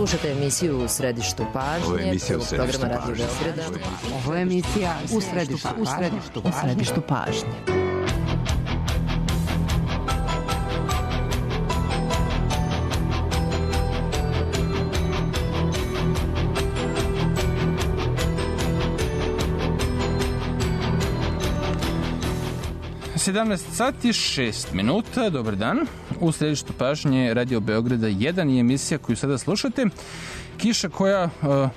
Slušate emisiju U središtu pažnje, programa Radio Beograda. Ovo je emisija U središtu pažnje. Sati 6 minuta, dobar dan. U središtu pažnje Radio Beograda 1 je emisija koju sada slušate. Kiša koja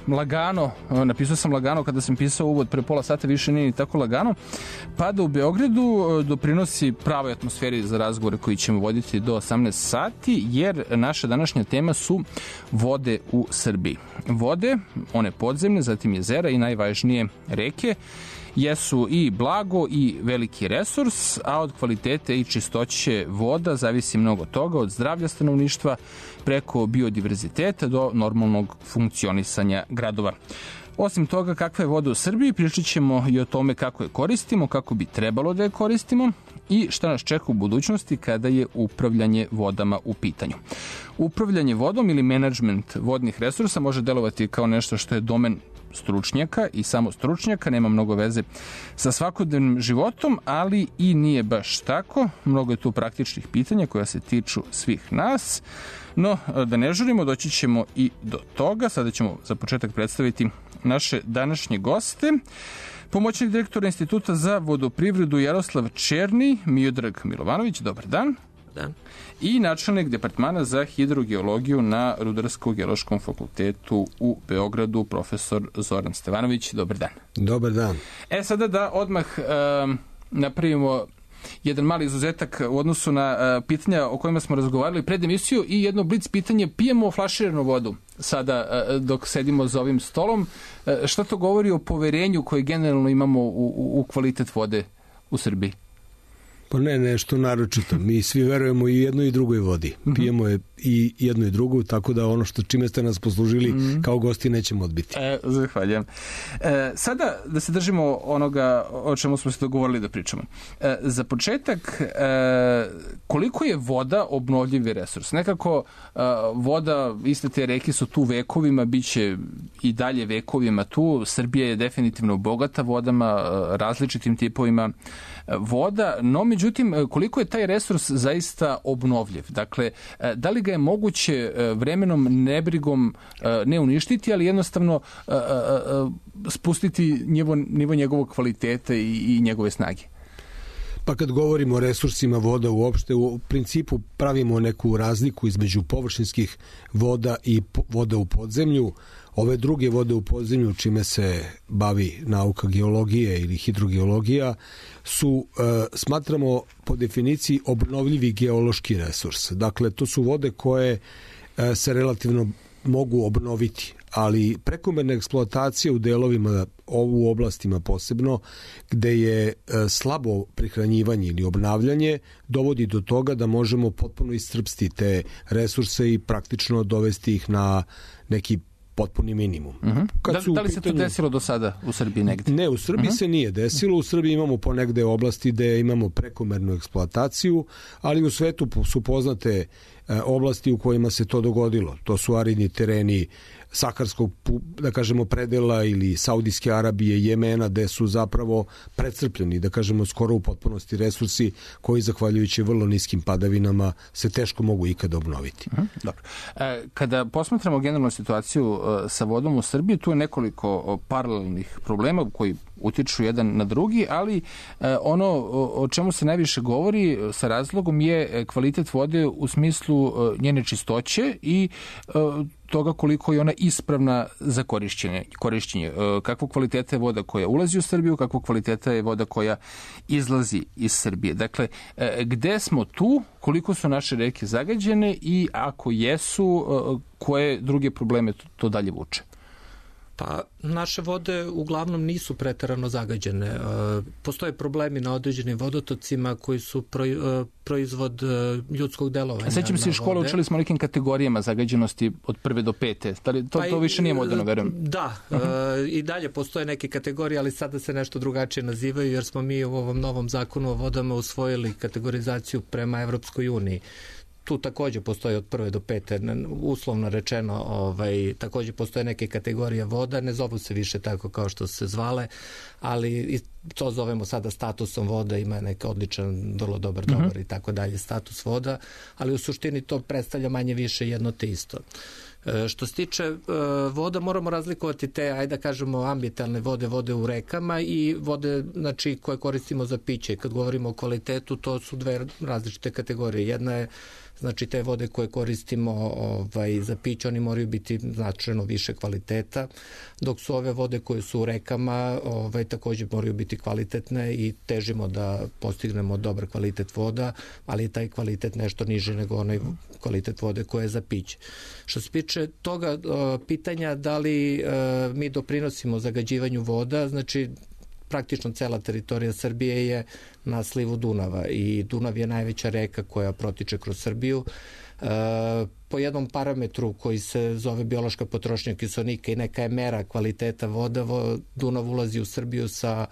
lagano, napisao sam lagano kada sam pisao uvod pre pola sata, više nije ni tako lagano, pada u Beogradu, doprinosi pravoj atmosferi za razgovore koji ćemo voditi do 18 sati, jer naša današnja tema su vode u Srbiji. Vode, one podzemne, zatim jezera i najvažnije reke, jesu i blago i veliki resurs, a od kvalitete i čistoće voda zavisi mnogo toga, od zdravlja stanovništva preko biodiverziteta do normalnog funkcionisanja gradova. Osim toga, kakva je voda u Srbiji, pričat ćemo i o tome kako je koristimo, kako bi trebalo da je koristimo i šta nas čeka u budućnosti kada je upravljanje vodama u pitanju. Upravljanje vodom ili menadžment vodnih resursa može delovati kao nešto što je domen stručnjaka i samo stručnjaka, nema mnogo veze sa svakodnevnim životom, ali i nije baš tako. Mnogo je tu praktičnih pitanja koja se tiču svih nas, no da ne žurimo, doći ćemo i do toga. Sada ćemo za početak predstaviti naše današnje goste. Pomoćnik direktora Instituta za vodoprivredu Jaroslav Černi, Miodrag Milovanović, dobar dan. Dan. I načelnik departmana za hidrogeologiju na Rudarsko-geološkom fakultetu u Beogradu, profesor Zoran Stevanović, dobar dan. Dobar dan. Sada da odmah napravimo jedan mali izuzetak u odnosu na pitanja o kojima smo razgovarali pred emisiju i jedno blic pitanje. Pijemo flaširanu vodu sada dok sedimo za ovim stolom. Šta to govori o poverenju koje generalno imamo u kvalitet vode u Srbiji? Pa ne, nešto naročito. Mi svi verujemo i jednoj i drugoj vodi. Pijemo je i jednu i drugu, tako da ono čime ste nas poslužili kao gosti nećemo odbiti. Zahvaljujem. Sada da se držimo onoga o čemu smo se dogovorili da pričamo. Za početak, koliko je voda obnovljivi resurs? Nekako voda, iste te reke su tu vekovima, bit će i dalje vekovima tu. Srbija je definitivno bogata vodama, različitim tipovima voda, no međutim, koliko je taj resurs zaista obnovljiv? Dakle, da li ga je moguće vremenom, nebrigom ne uništiti, ali jednostavno spustiti nivo njegovog kvaliteta i njegove snage? Pa kad govorimo o resursima voda uopšte, u principu pravimo neku razliku između površinskih voda i voda u podzemlju. Ove druge vode u podzemlju, čime se bavi nauka geologije ili hidrogeologija, su, smatramo po definiciji, obnovljivi geološki resurs. Dakle, to su vode koje se mogu obnoviti, ali prekomerna eksploatacija u delovima, u oblastima posebno, gde je slabo prihranjivanje ili obnavljanje, dovodi do toga da možemo potpuno iscrpsti te resurse i praktično dovesti ih na neki potpuni minimum. Da li se to desilo do sada u Srbiji negde? Ne, u Srbiji se nije desilo. U Srbiji imamo ponegde oblasti gde imamo prekomernu eksploataciju, ali u svetu su poznate oblasti u kojima se to dogodilo. To su aridni tereni Saharskog, da kažemo, predela ili Saudijske Arabije, Jemena, gde su zapravo precrpljeni, da kažemo, skoro u potpunosti resursi koji, zahvaljujući vrlo niskim padavinama, se teško mogu ikada obnoviti. Dobro. Kada posmatramo generalnu situaciju sa vodom u Srbiji, tu je nekoliko paralelnih problema koji utiču jedan na drugi, ali ono o čemu se najviše govori sa razlogom je kvalitet vode u smislu njene čistoće i toga koliko je ona ispravna za korišćenje. Kakvog kvaliteta je voda koja ulazi u Srbiju, kakvog kvaliteta je voda koja izlazi iz Srbije. Dakle, gde smo tu, koliko su naše reke zagađene i ako jesu, koje druge probleme to dalje vuče? Pa naše vode uglavnom nisu preterano zagađene. Postoje problemi na određenim vodotocima koji su proizvod ljudskog delovanja. Sećam se iz škole, učili smo o nekim kategorijama zagađenosti od 1. do 5. To više nije moderno, verujem. Da, i dalje postoje neke kategorije, ali sada se nešto drugačije nazivaju, jer smo mi u ovom novom zakonu o vodama usvojili kategorizaciju prema Evropskoj uniji. tu takođe postoje od 1. do 5. uslovno rečeno, takođe postoje neke kategorije voda, ne zovu se više tako kao što se zvale, ali to zovemo sada statusom voda, ima neka odličan, vrlo dobar i tako dalje status voda, ali u suštini to predstavlja manje više jedno te isto. Što se tiče voda, moramo razlikovati te, ajde da kažemo, ambientalne vode u rekama i vode, znači, koje koristimo za piće. Kad govorimo o kvalitetu, to su dve različite kategorije. Jedna je, znači, te vode koje koristimo za piće, oni moraju biti značajno više kvaliteta, dok su ove vode koje su u rekama takođe moraju biti kvalitetne i težimo da postignemo dobar kvalitet voda, ali je taj kvalitet nešto niži nego onaj kvalitet vode koja je za piće. Što se tiče toga pitanja da li mi doprinosimo zagađivanju voda, znači praktično cela teritorija Srbije je na slivu Dunava i Dunav je najveća reka koja protiče kroz Srbiju. Po jednom parametru koji se zove biološka potrošnja kiseonika i neka je mera kvaliteta voda, Dunav ulazi u Srbiju sa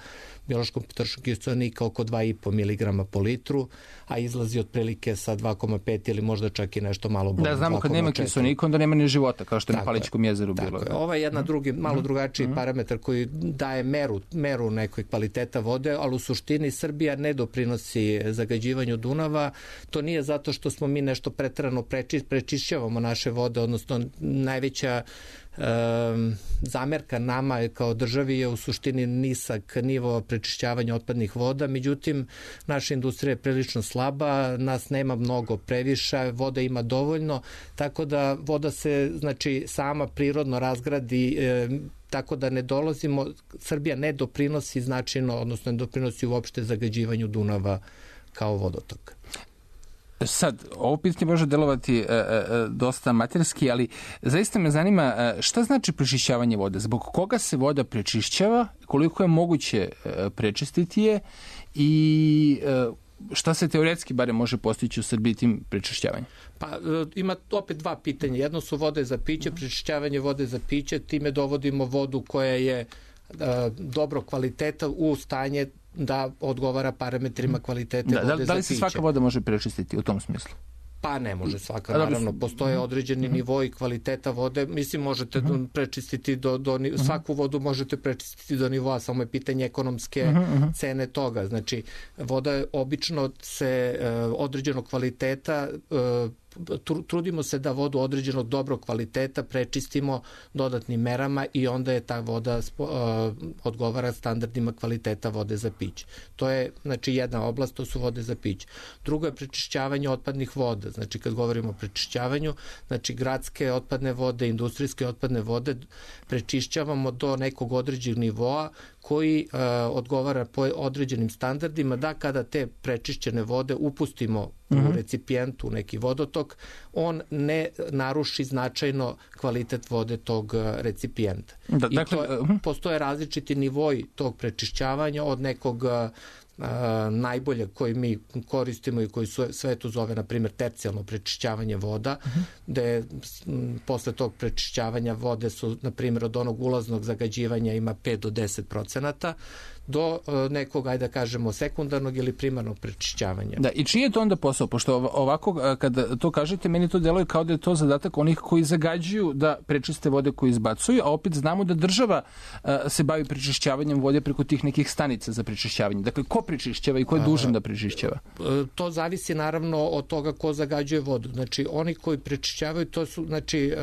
biološkom potrošnjom kiseonika oko 2,5 mg po litru, a izlazi otprilike sa 2,5 ili možda čak i nešto malo bolje. Da, znamo kad nema kiseonika, onda nema ni života, kao što je na Palićkom jezeru bilo. Tako je. Ovo je jedna malo drugačiji parametar koji daje meru nekoj kvaliteta vode, ali u suštini Srbija ne doprinosi zagađivanju Dunava. To nije zato što smo mi nešto preterano prečišćavamo naše vode, odnosno najveća zamerka nama kao državi je u suštini nisak nivo prečišćavanja otpadnih voda, međutim naša industrija je prilično slaba, nas nema mnogo previše, voda ima dovoljno, tako da voda se, znači, sama prirodno razgradi, tako da ne dolazimo, Srbija ne doprinosi značajno, odnosno ne doprinosi uopšte zagađivanju Dunava kao vodotok. Sad, ovo pitanje može delovati dosta amaterski, ali zaista me zanima šta znači prečišćavanje vode, zbog koga se voda prečišćava, koliko je moguće prečistiti je i šta se teoretski bare može postići u Srbiji tim prečišćavanjem? Pa ima opet dva pitanja. Jedno su vode za piće, prečišćavanje vode za piće, time dovodimo vodu koja je dobro kvaliteta u stanje da odgovara parametrima kvalitete vode za piće. Da li se svaka voda može prečistiti u tom smislu? Pa ne može svaka, naravno. Postoje određeni nivoi kvaliteta vode. Mislim, možete prečistiti svaku vodu možete prečistiti do nivoa, samo je pitanje ekonomske cene toga. Znači, voda obično se određenog kvaliteta trudimo se da vodu određenog dobrog kvaliteta prečistimo dodatnim merama i onda je ta voda odgovara standardima kvaliteta vode za piće. To je, znači, jedna oblast, to su vode za piće. Drugo je prečišćavanje otpadnih voda. Znači, kad govorimo o prečišćavanju, znači, gradske otpadne vode, industrijske otpadne vode prečišćavamo do nekog određenog nivoa koji odgovara po određenim standardima, da kada te prečišćene vode upustimo u recipijentu, u neki vodotok, on ne naruši značajno kvalitet vode tog recipijenta. Postoje različiti nivoji tog prečišćavanja od nekog najbolje koji mi koristimo i koji svetu zove, na primjer, tercijalno prečišćavanje voda, gde posle tog prečišćavanja vode su, na primjer, od onog ulaznog zagađivanja ima 5 do 10%, do nekog, ajde da kažemo, sekundarnog ili primarnog prečišćavanja. Da, i čiji je to onda posao? Pošto ovako, kada to kažete, meni to deluje kao da je to zadatak onih koji zagađuju da prečiste vode koje izbacuju, a opet znamo da država se bavi prečišćavanjem vode preko tih nekih stanica za prečišćavanje. Dakle, ko prečišćava i ko je dužan da prečišćava? To zavisi naravno od toga ko zagađuje vodu. Znači, oni koji prečišćavaju, to su, znači,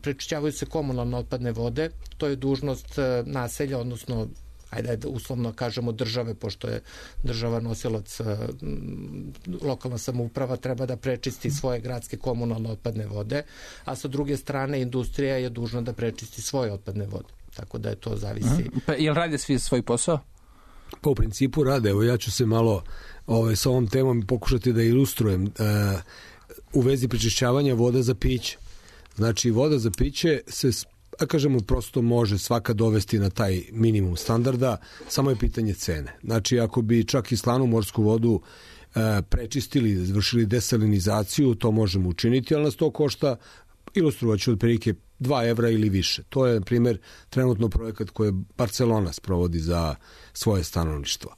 prečišćavaju se komunalne otpadne vode, to je dužnost naselja, odnosno ajde da uslovno kažemo države, pošto je država nosilac, lokalna samouprava treba da prečisti svoje gradske komunalne otpadne vode, a sa druge strane industrija je dužna da prečisti svoje otpadne vode. Tako da je to zavisi. Pa jel rade svi svoj posao? Pa u principu rade. Evo, ja ću se malo sa ovom temom pokušati da ilustrujem u vezi prečišćavanja voda za piće. Znači, voda za piće se, da kažemo, prosto može svaka dovesti na taj minimum standarda, samo je pitanje cene. Znači, ako bi čak i slanu morsku vodu prečistili, izvršili desalinizaciju, to možemo učiniti, ali nas to košta, ilustrovaću otprilike 2 evra ili više. To je, na primjer, trenutno projekat koji Barcelona sprovodi za svoje stanovništvo.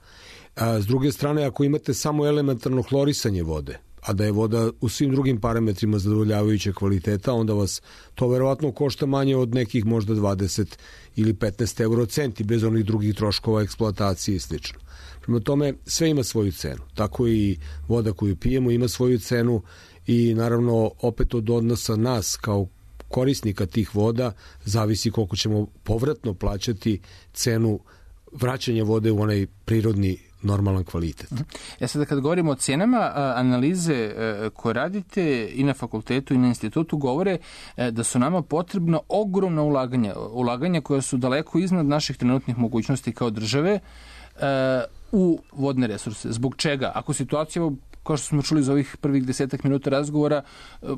S druge strane, ako imate samo elementarno hlorisanje vode, a da je voda u svim drugim parametrima zadovoljavajuća kvaliteta, onda vas to verovatno košta manje od nekih možda 20 ili 15 eurocenti bez onih drugih troškova eksploatacije i slično. Prema tome, sve ima svoju cenu. Tako i voda koju pijemo ima svoju cenu i naravno opet od odnosa nas kao korisnika tih voda zavisi koliko ćemo povratno plaćati cenu vraćanja vode u onaj prirodni normalan kvalitet. Ja sada kad govorimo o cenama, analize koje radite i na fakultetu i na institutu govore da su nama potrebna ogromna ulaganja koja su daleko iznad naših trenutnih mogućnosti kao države u vodne resurse. Zbog čega? Ako situacija, kao što smo čuli za ovih prvih 10 minuta razgovora,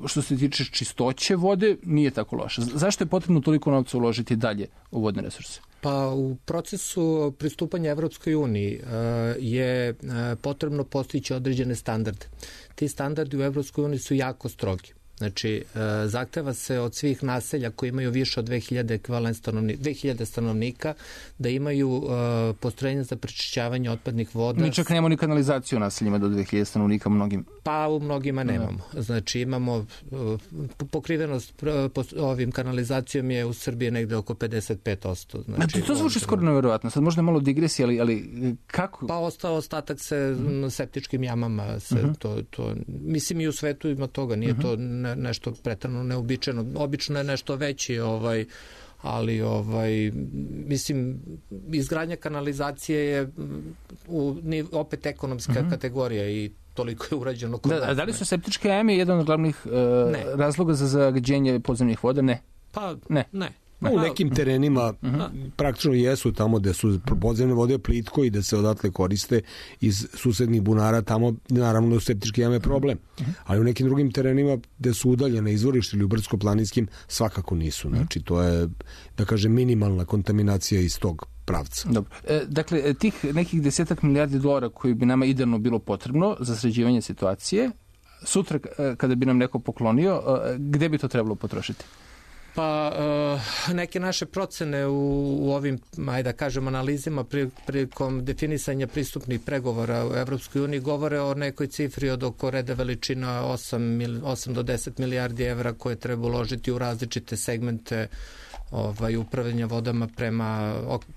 što se tiče čistoće vode, nije tako loša. Zašto je potrebno toliko novca uložiti dalje u vodne resurse? Pa u procesu pristupanja Evropskoj uniji je potrebno postići određene standarde. Ti standardi u Evropskoj uniji su jako strogi. Znači, zahteva se od svih naselja koji imaju više od 2000 stanovnika da imaju postrojenja za prečišćavanje otpadnih voda. Mi čak nemamo ni kanalizaciju u naseljima do 2000 stanovnika mnogim. Pa u mnogima nemamo. Znači, imamo pokrivenost ovim kanalizacijom je u Srbiji negde oko 55%. Znači, to zvuči skoro neverovatno. Sad možda malo digresija, ali kako? Pa ostatak se septičkim jamama. Mislim i u svetu ima toga. Nije to nešto pretrano neobičajeno. Obično je nešto veći, ali mislim, izgradnja kanalizacije je opet ekonomska kategorija i toliko je urađeno kod nas. Da li su septičke jame jedan od glavnih razloga za zagađenje podzemnih voda? Ne. Pa ne. U nekim terenima praktično jesu tamo gde su podzemne vode plitko i da se odatle koriste iz susednih bunara, tamo naravno septičke jame je problem. Ali u nekim drugim terenima gde su udaljene izvorište ili u brdsko-planinskim svakako nisu. Znači to je, da kažem, minimalna kontaminacija iz tog pravca. Dobro. Dakle, tih nekih 10 milijardi dolara koji bi nama idealno bilo potrebno za sređivanje situacije, sutra kada bi nam neko poklonio, gde bi to trebalo potrošiti? Pa neke naše procene u ovim, ajde da kažem, analizima prilikom definisanja pristupnih pregovora u Evropskoj uniji govore o nekoj cifri od oko reda veličina 8 do 10 milijardi evra koje treba uložiti u različite segmente upravljanja vodama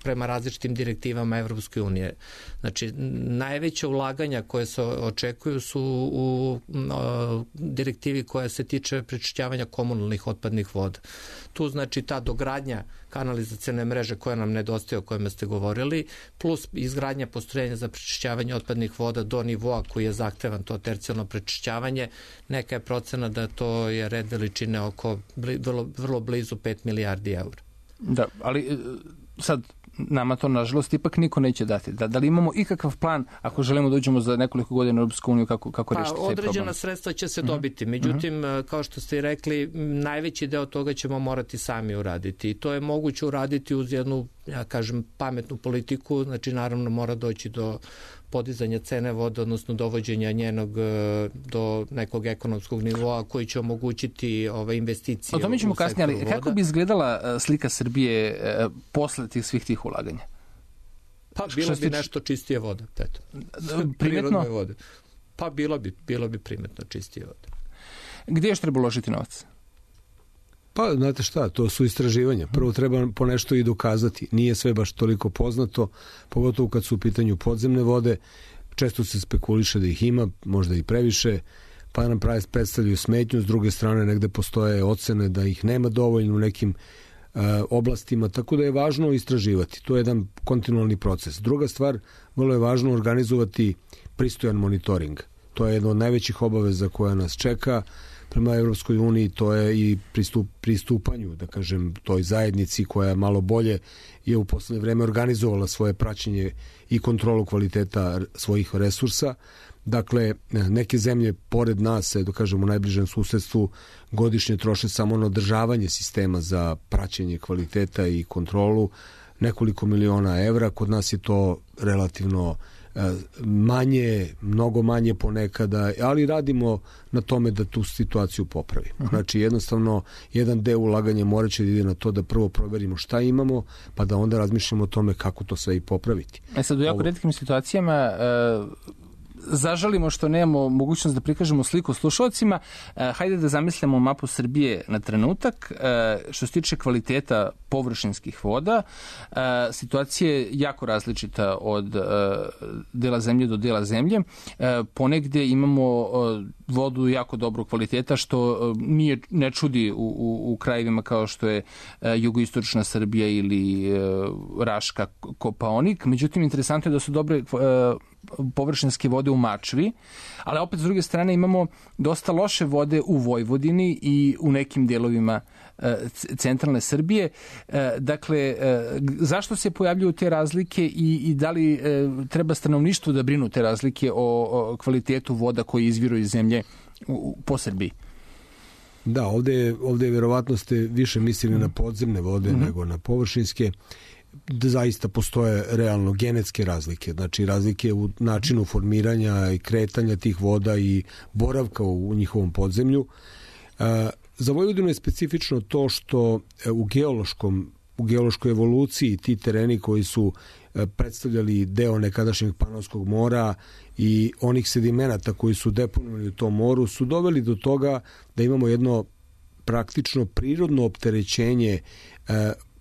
prema različitim direktivama Evropske unije. Znači, najveća ulaganja koje se očekuju su u direktivi koja se tiče prečišćavanja komunalnih otpadnih voda. Tu znači ta dogradnja kanalizacione mreže koja nam nedostaje, o kojima ste govorili, plus izgradnja postrojenja za prečišćavanje otpadnih voda do nivoa koji je zahtevan, to tercijalno prečišćavanje. Neka je procena da to je red veličine oko vrlo blizu 5 milijardi eura. Da, ali sad nama to nažalost ipak niko neće dati. Da li imamo ikakav plan ako želimo da uđemo za nekoliko godina u Europsku uniju kako rešiti taj problem? Određena sredstva će se dobiti. Međutim, kao što ste i rekli, najveći deo toga ćemo morati sami uraditi. I to je moguće uraditi uz jednu, ja kažem, pametnu politiku. Znači, naravno, mora doći do podizanja cene vode, odnosno dovođenja njenog do nekog ekonomskog nivoa koji će omogućiti ove investicije. O tome ćemo kasnije, ali kako bi izgledala slika Srbije posle svih tih ulaganja? Pa bilo bi nešto čistije voda. Primetno? Vode. Pa bilo bi primetno čistije vode. Gdje još treba uložiti novac? Pa, znate šta, to su istraživanja. Prvo treba po nešto i dokazati. Nije sve baš toliko poznato, pogotovo kad su u pitanju podzemne vode. Često se spekuliše da ih ima, možda i previše, pa nam predstavljaju smetnju. S druge strane, negde postoje ocene da ih nema dovoljno u nekim oblastima, tako da je važno istraživati. To je jedan kontinualni proces. Druga stvar, vrlo je važno organizovati pristojan monitoring. To je jedna od najvećih obaveza koja nas čeka prema Evropskoj uniji, to je i pristupanju, da kažem, toj zajednici koja malo bolje je u poslednje vreme organizovala svoje praćenje i kontrolu kvaliteta svojih resursa. Dakle, neke zemlje pored nas, da kažem, u najbližem susedstvu godišnje troše samo na održavanje sistema za praćenje kvaliteta i kontrolu nekoliko miliona evra. Kod nas je to relativno manje, mnogo manje ponekada, ali radimo na tome da tu situaciju popravimo. Znači, jednostavno, jedan deo ulaganja mora će da ide na to da prvo proverimo šta imamo, pa da onda razmišljamo o tome kako to sve i popraviti. Sad, u jako retkim situacijama zažalimo što nemamo mogućnost da prikažemo sliku slušalcima, hajde da zamislimo mapu Srbije na trenutak. Što se tiče kvaliteta površinskih voda, situacija je jako različita od dela zemlje do dela zemlje. Ponegde imamo vodu jako dobrog kvaliteta, što ne čudi u krajevima kao što je jugoistočna Srbija ili Raška, Kopaonik. Međutim, interesantno je da su dobre površinske vode u Mačvi, ali opet s druge strane imamo dosta loše vode u Vojvodini i u nekim delovima centralne Srbije. Dakle, zašto se pojavljuju te razlike i da li treba stanovništvu da brinu te razlike o kvalitetu voda koji izviru iz zemlje po Srbiji? Da, ovde verovatno ste više mislili na podzemne vode nego na površinske. Da zaista postoje realno genetske razlike, znači razlike u načinu formiranja i kretanja tih voda i boravka u njihovom podzemlju. Za Vojvodinu je specifično to što u geološkoj evoluciji ti tereni koji su predstavljali deo nekadašnjeg Panonskog mora i onih sedimenata koji su deponovani u tom moru su doveli do toga da imamo jedno praktično prirodno opterećenje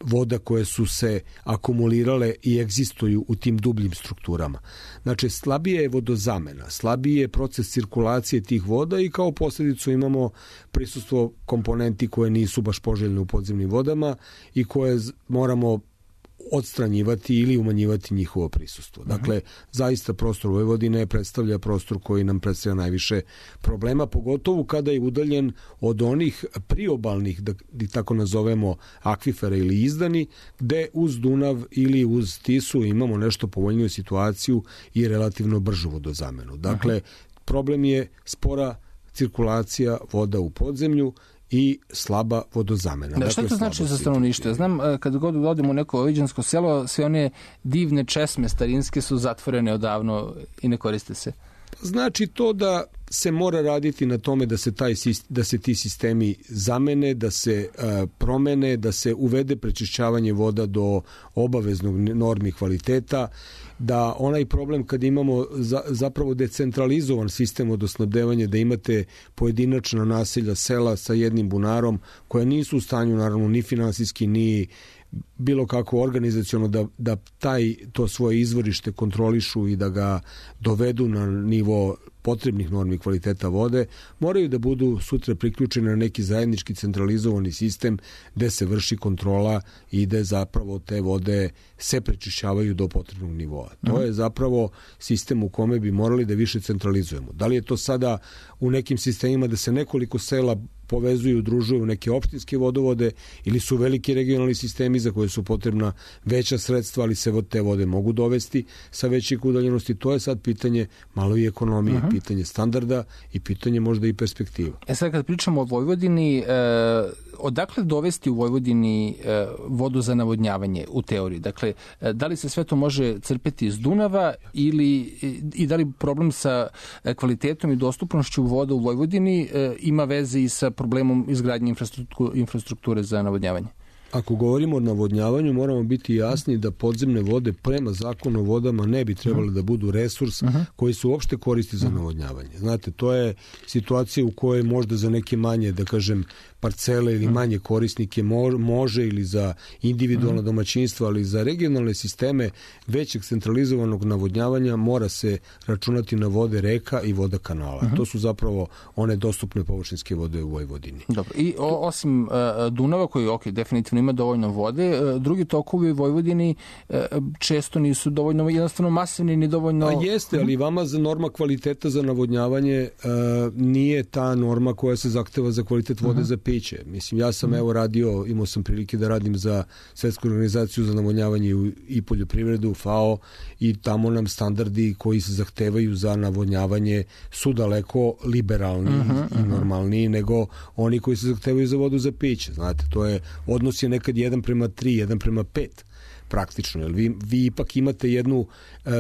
voda koje su se akumulirale i egzistuju u tim dubljim strukturama. Znači, slabije je vodozamena, slabije je proces cirkulacije tih voda i kao posljedicu imamo prisustvo komponenti koje nisu baš poželjne u podzemnim vodama i koje moramo odstranjivati ili umanjivati njihovo prisustvo. Dakle, zaista prostor Vojvodine predstavlja prostor koji nam predstavlja najviše problema, pogotovo kada je udaljen od onih priobalnih, da tako nazovemo, akvifera ili izdani, gde uz Dunav ili uz Tisu imamo nešto povoljniju situaciju i relativno bržu vodozamenu. Dakle, problem je spora cirkulacija voda u podzemlju i slaba vodozamena. Da, što to znači za stanovništvo? Ja znam, kad god odemo u neko vojvođansko selo, sve one divne česme starinske su zatvorene odavno i ne koriste se. Znači to da se mora raditi na tome da se ti sistemi zamene, da se promene, da se uvede prečišćavanje voda do obaveznog normi kvaliteta, da onaj problem kad imamo zapravo decentralizovan sistem vodosnabdevanja, da imate pojedinačna naselja, sela sa jednim bunarom koja nisu u stanju naravno ni finansijski ni bilo kako organizaciono da to svoje izvorište kontrolišu i da ga dovedu na nivo potrebnih normi kvaliteta vode, moraju da budu sutra priključeni na neki zajednički centralizovani sistem gde se vrši kontrola i gde zapravo te vode se prečišćavaju do potrebnog nivoa. To je zapravo sistem u kome bi morali da više centralizujemo. Da li je to sada u nekim sistemima da se nekoliko sela povezuju, udružuju u neke opštinske vodovode ili su veliki regionalni sistemi za koje su potrebna veća sredstva, ali se te vode mogu dovesti sa većih udaljenosti. To je sad pitanje malo i ekonomije, pitanje standarda i pitanje možda i perspektiva. Sad kad pričamo o Vojvodini, odakle dovesti u Vojvodini vodu za navodnjavanje u teoriji? Dakle, da li se sve to može crpeti iz Dunava i da li problem sa kvalitetom i dostupnošću voda u Vojvodini ima veze i sa problemom izgradnje infrastrukture za navodnjavanje? Ako govorimo o navodnjavanju, moramo biti jasni da podzemne vode prema zakonu o vodama ne bi trebali da budu resurs koji se uopšte koristi za navodnjavanje. Znate, to je situacija u kojoj možda za neke manje, da kažem, parcele ili manje korisnike može ili za individualna domaćinstva, ali za regionalne sisteme većeg centralizovanog navodnjavanja mora se računati na vode reka i voda kanala. To su zapravo one dostupne površinske vode u Vojvodini. Dobro. I osim Dunava koji definitivno ima dovoljno vode, drugi tokovi u Vojvodini često nisu dovoljno jednostavno masivni ni dovoljno... Jeste, ali vama za norma kvaliteta za navodnjavanje nije ta norma koja se zahteva za kvalitet vode za piće. Mislim, ja sam imao sam prilike da radim za Svetsku organizaciju za navodnjavanje i poljoprivredu, FAO, i tamo nam standardi koji se zahtevaju za navodnjavanje su daleko liberalniji i normalniji nego oni koji se zahtevaju za vodu za piće. Znate, to je, odnos je nekad 1:3, 1:5 praktično, jer vi ipak imate jednu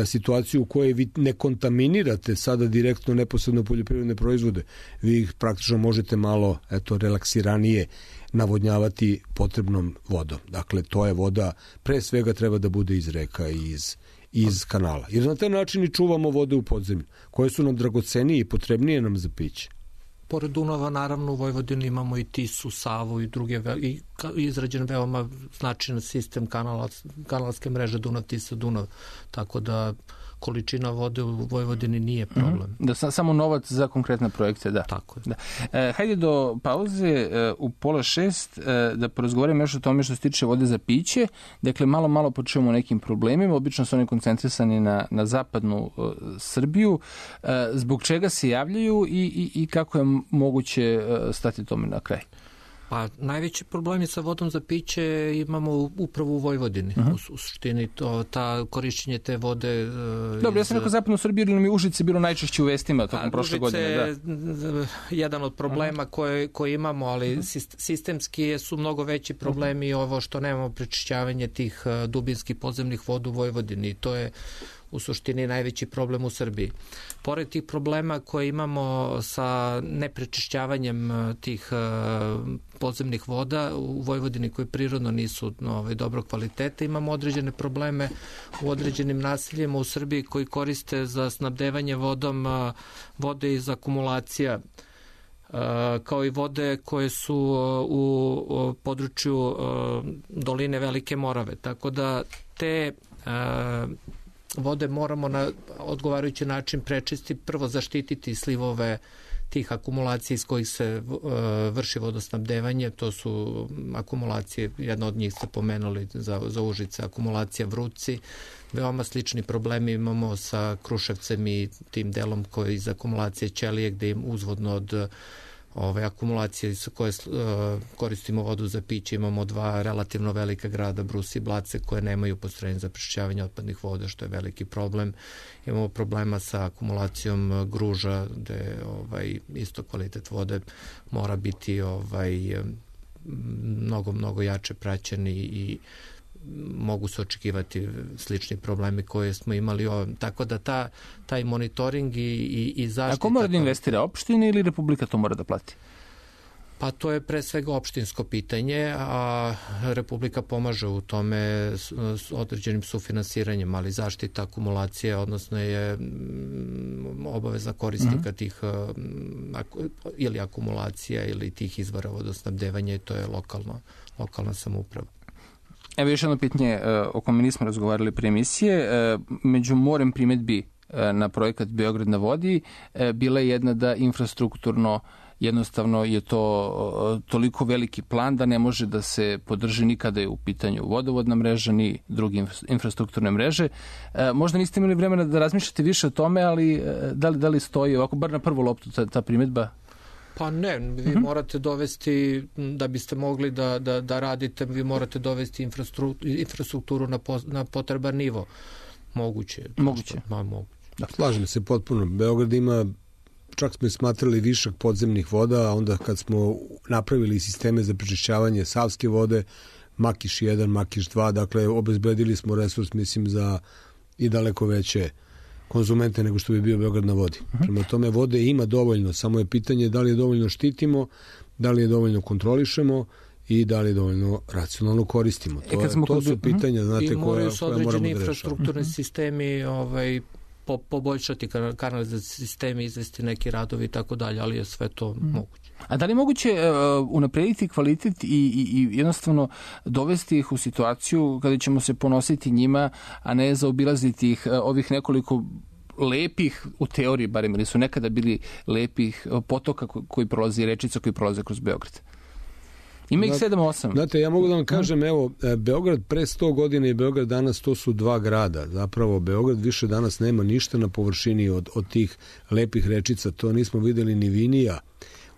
situaciju u kojoj vi ne kontaminirate sada direktno neposredno poljoprivredne proizvode. Vi ih praktično možete malo relaksiranije navodnjavati potrebnom vodom. Dakle, to je voda, pre svega treba da bude iz reka i iz kanala. Jer na taj način i čuvamo vode u podzemlju, koje su nam dragocenije i potrebnije nam za piće. Pored Dunava, naravno, u Vojvodini imamo i Tisu, Savu i druge, i izrađen veoma značajan sistem kanalske mreže Dunav-Tisa-Dunav, tako da količina vode u Vojvodini nije problem. Da, samo novac za konkretne projekte, da. Tako je. Da. Hajde do pauze u 5:30 da porazgovaramo još o tome što se tiče vode za piće. Dakle, malo počujemo o nekim problemima. Obično su oni koncentrisani na zapadnu Srbiju. Zbog čega se javljaju i kako je moguće stati tome na kraj? Pa najveći problemi sa vodom za piće imamo upravo u Vojvodini. U suštini ta korišćenje te vode... Dobro, ja sam rekao zapadnu Srbiju, ili nam je Užice bilo najčešće u vestima tokom prošle godine. Užice je jedan od problema koje imamo, ali sistemski su mnogo veći problemi ovo što nemamo prečišćavanje tih dubinskih podzemnih voda u Vojvodini. To je u suštini najveći problem u Srbiji. Pored tih problema koje imamo sa neprečišćavanjem tih podzemnih voda u Vojvodini koje prirodno nisu dobrog kvaliteta, imamo određene probleme u određenim naseljima u Srbiji koji koriste za snabdevanje vodom vode iz akumulacija, kao i vode koje su u području doline Velike Morave. Tako da te vode moramo na odgovarajući način prečistiti, prvo zaštititi slivove tih akumulacija iz kojih se vrši vodosnabdevanje. To su akumulacije, jedna od njih ste pomenuli za Užice, akumulacija Vruci. Veoma slični problemi imamo sa Kruševcem i tim delom koji iz akumulacije Ćelije, gde im uzvodno od ove akumulacije sa koje koristimo vodu za piće, imamo dva relativno velika grada, Brus i Blace, koje nemaju postrojenje za prečišćavanje otpadnih voda, što je veliki problem. Imamo problema sa akumulacijom Gruža, gde isto kvalitet vode mora biti mnogo jače praćen i mogu se očekivati slični problemi koje smo imali. Tako da taj monitoring i zaštita... A ko mora da investira, opštine ili Republika to mora da plati? Pa to je pre svega opštinsko pitanje, a Republika pomaže u tome s određenim sufinansiranjem, ali zaštita akumulacije, odnosno je obaveza korisnika tih ili akumulacija ili tih izvora vodosnabdevanja, i to je lokalna samouprava. Evo još jedno pitanje o kome nismo razgovarali pre emisije. Među morem primedbi na projekat Beograd na vodi bila je jedna da infrastrukturno jednostavno je to toliko veliki plan da ne može da se podrži nikada je u pitanju vodovodna mreža ni druge infrastrukturne mreže. Možda niste imali vremena da razmišljate više o tome, ali da li stoji ovako, bar na prvu loptu ta primedba? Pa ne, vi morate dovesti, da biste mogli da radite, vi morate dovesti infrastrukturu na potreban nivo. Moguće. Da. Slažem se potpuno. Beograd ima, čak smo smatrali višak podzemnih voda, a onda kad smo napravili sisteme za prečišćavanje savske vode, Makiš 1, Makiš 2, dakle obezbedili smo resurs, mislim, za i daleko veće konzumente nego što bi bio Beograd na vodi. Prema tome, vode ima dovoljno, samo je pitanje da li je dovoljno štitimo, da li je dovoljno kontrolišemo i da li dovoljno racionalno koristimo. To su pitanja, znate, koje moramo da rešamo. I moraju se određeni infrastrukturni sistemi poboljšati kanalizacijski sistemi, izvesti neki radovi i tako dalje, ali je sve to moguće. A da li je moguće unaprediti kvalitet i jednostavno dovesti ih u situaciju kada ćemo se ponositi njima, a ne zaobilaziti ih ovih nekoliko lepih, u teoriji barem, ili su nekada bili lepih potoka koji prolazi, rečica koji prolaze kroz Beograd? Ima ih 7-8. Znate, ja mogu da vam kažem, evo, Beograd pre 100 godina i Beograd danas, to su dva grada. Zapravo, Beograd više danas nema ništa na površini od tih lepih rečica. To nismo videli ni Vinija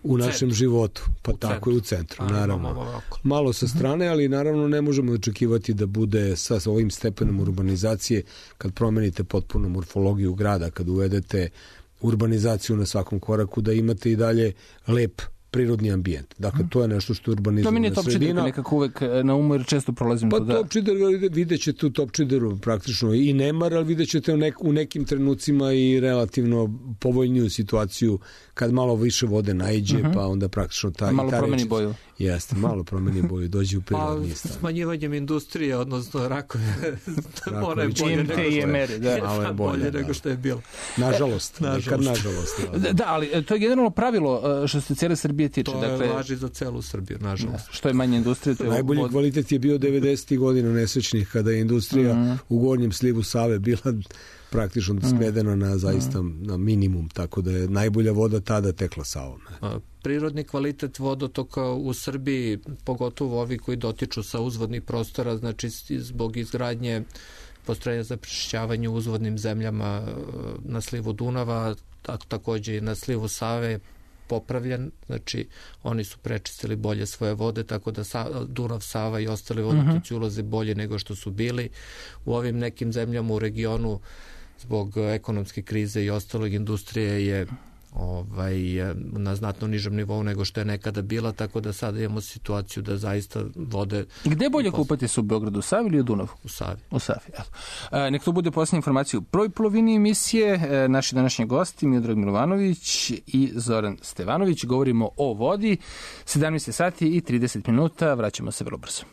u našem životu. Pa tako i u centru, naravno. Malo sa strane, ali naravno ne možemo očekivati da bude sa ovim stepenom urbanizacije, kad promenite potpuno morfologiju grada, kad uvedete urbanizaciju na svakom koraku, da imate i dalje lep prirodni ambijent. Dakle, to je nešto što je urbanizovana sredina. To mi nije Topčider, nekako uvek na umu jer često prolazim to da... Pa Topčider, vidjet ćete u Topčideru praktično i nemar, ali vidjet ćete u nekim trenucima i relativno povoljniju situaciju kad malo više vode naiđe, pa onda praktično ta... Malo promeni boju. Jeste, malo promeni boju, dođe u prirodni stan. Smanjivanjem industrije, odnosno rakove, ona je bolje nego što je bilo. Nažalost. Da, ali to je generalno pravilo što se cijele Srbije tiče. To je važi za celu Srbiju, nažalost. Što je manje industrije, to je... Najbolji kvalitet je bio 90. godina nesrećnih, kada je industrija u gornjem slivu Save bila praktično svedena na zaista na minimum, tako da je najbolja voda tada tekla Savom. Prirodni kvalitet vodotoka u Srbiji, pogotovo ovi koji dotiču sa uzvodnih prostora, znači zbog izgradnje postrojenja za prečišćavanje u uzvodnim zemljama na slivu Dunava, takođe i na slivu Save popravljen, znači oni su prečistili bolje svoje vode, tako da Dunav, Sava i ostali vodotoci ulaze bolje nego što su bili. U ovim nekim zemljama u regionu zbog ekonomske krize i ostalog industrije je na znatno nižem nivou nego što je nekada bila, tako da sada imamo situaciju da zaista vode... Gde je bolje kupati se u Beogradu, u Savi ili u Dunavu? U Savi. U Savi, evo. Nek to bude posljednja informacija u prvoj polovini emisije. Naši današnji gosti Miodrag Milovanović i Zoran Stevanović. Govorimo o vodi. 17 sati i 30 minuta. Vraćamo se vrlo brzo.